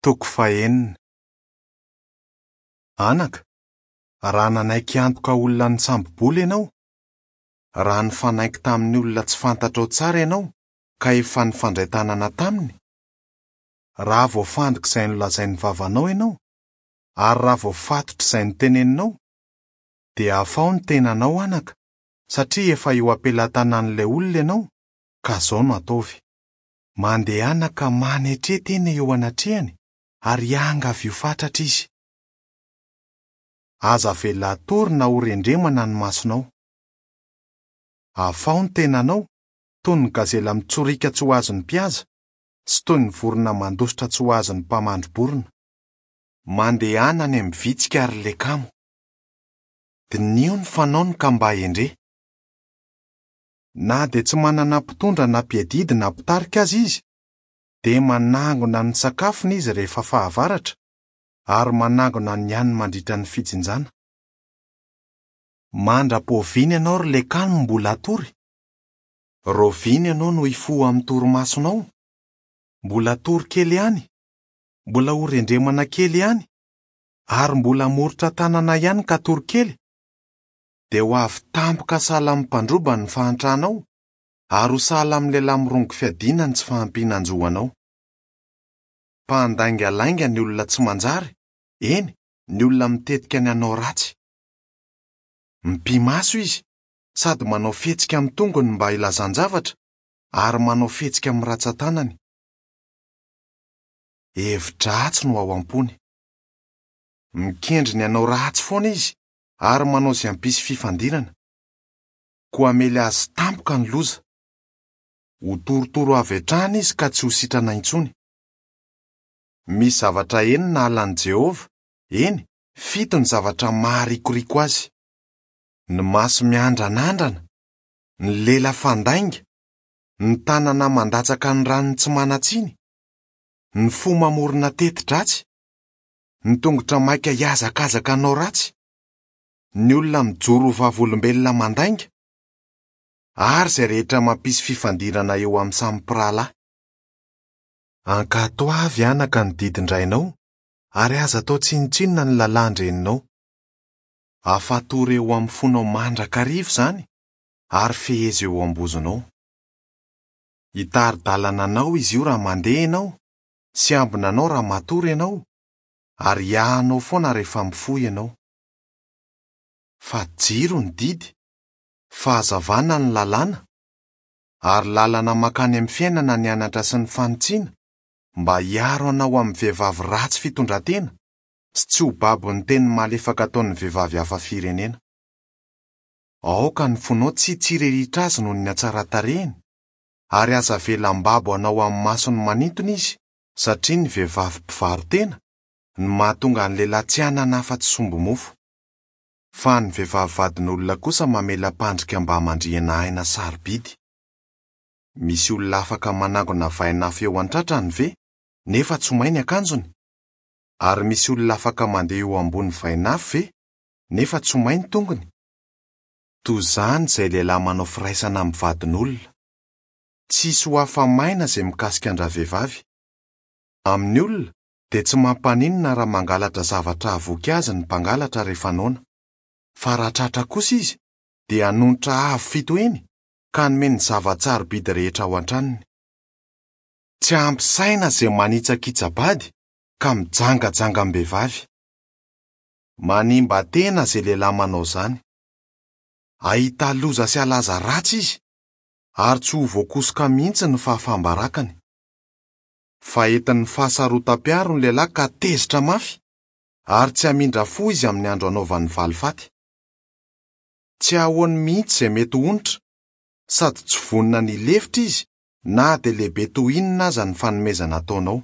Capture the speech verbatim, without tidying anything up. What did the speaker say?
Toko fahenina. Anaka, raha nanaiky antoka olona nisambo-bola ianao, raha nifanaiky tamin'ny olona tsy fantatrao tsara ianao ka efa nifandray tanana taminy, raha voafandrika izay nolazain'ny vavanao ianao, ary raha voafatotra izay noteneninao, dia afaho ny tenanao anaka, satria efa eo am-pelatanan'ilay olona ianao, ka izao no ataovy. Mandehana ka manetre tena eo anatrehany ary angavio fatratra izy. Aza avela hatory na ho rendremana ny masonao. Afaho ny tenanao, toy ny gazela mitsoriaka tsy ho azon'ny mpihaza, sy toy ny vorona mandositra tsy ho azon'ny mpamandri-borona. Mandehana any amin'ny vitsika ary lekamo. Diniho ny fanaony ka mba hendre. Na dia tsy manana mpitondra na mpiadidy na mpitarika aza izy, dia manangona ny sakafony izy rehefa fahavaratra, ary manangona ny haniny mandritra ny fijinjana. Mandra-poviana ianao ry lekano mbola hatory? Rahoviana ianao no hifoha amin'ny torimasonao? Mbola hatory kely ihany, mbola ho rendremana kely ihany, ary mbola hamoritra tanana ihany ka hatory kely? Dia ho avy tampoka sahala amin'ny mpandroba ny fahantranao, ary ho sahala amin'ny lehilahy mirongo fiadiana ny tsy fahampianan-jo anao. Mpandaingalainga ny olona tsy manjary, eny, ny olona mitetika ny hanao ratsy. Mipi-maso izy, sady manao fihetsika amin'ny tongony mba hilazan-javatra, ary manao fihetsika amin'ny ratsan-tanany. Hevi-dratsy no ao am-pony. Mikendry ny hanao ratsy foana izy, ary manao izay hampisy fifandirana. Koa hamely azy tampoka ny loza. Ho torotoro avy hatrany izy ka tsy ho sitrana intsony. Misy zavatra enina halan'i Jehovah, eny, fito ny zavatra maharikoriko azy. Ny maso miandranandrana, ny lela fandainga, ny tanana mandatsaka ny ranony tsy manan-tsiny, ny fo mamorona teti-dratsy, ny tongotra maika hihazakazaka hanao ratsy, ny olona mijoro ho vavolombelona mandainga, ary izay rehetra mampisy fifandirana eo amin'ny samy mpirahalahy. Ankatoavy anaka ny didin-drainao, ary aza atao tsinontsinona ny lalàn-dreninao. Afatory eo amin'ny fonao mandrakariva izany, ary fehezo eo am-bozonao. Hitari-dalana anao izy io raha mandeha ianao, sy ambina anao raha matory ianao, ary hiahanao foana rehefa mifoha ianao. Fa jiro ny didy, fahazavana ny lalàna, ary lalana mankany amin'ny fiainana ny anatra sy ny fanitsiana, mba hiaro anao amin'ny vehivavy ratsy fitondran-tena sy tsy ho babon'ny teny malefaka ataon'ny vehivavy hafa firenena. Aoka ny fonao tsy hitsiriritra azy noho ny hatsaran-tarehiny, ary aza avela ambabo anao amin'ny masony manintona izy, satria ny vehivavy mpivaro-tena no mahatonga ny lehilahy tsy hanana afa-tsy sombi-mofo. Fa ny vehivavy vadin'olona kosa mamela mpandrika mba hamandrihana aina sarobidy. Misy olona afaka manangona vainafo eo an-tratrany ve, nefa tsy ho may ny akanjony? Ary misy olona afaka mandeha eo ambony vainafo ve, nefa tsy ho may ny tongony? Toy izany izay lehilahy manao firaisana amin'ny vadin'olona. Tsisy ho afa-maina izay mikasika an-dravehivavy. Amin'ny olona dia tsy mampaninona raha mangalatra zavatra havoky azy ny mpangalatra rehefa noana. Fa raha tratra kosa izy dia hanonitra avo fito heny ka hanome ny zava-tsarobidy rehetra ao an-tranony. Tsy ampy saina izay manitsakitsa-bady ka mijangajanga am-behivavy. Manimba tena izay lehilahy manao izany. Hahita loza sy halaza ratsy izy, ary tsy ho voakosoka mihitsy ny fahafaham-barakany. Fa entin'ny fahasarotam-piaro ny lehilahy ka tezitra mafy, ary tsy hamindra fo izy amin'ny andro anaovany valifaty. Tsy ahoany mihitsy izay mety ho onitra, sady tsy vonona ny hilefitra izy na dia lehibe toy inona aza ny fanomezana ataonao.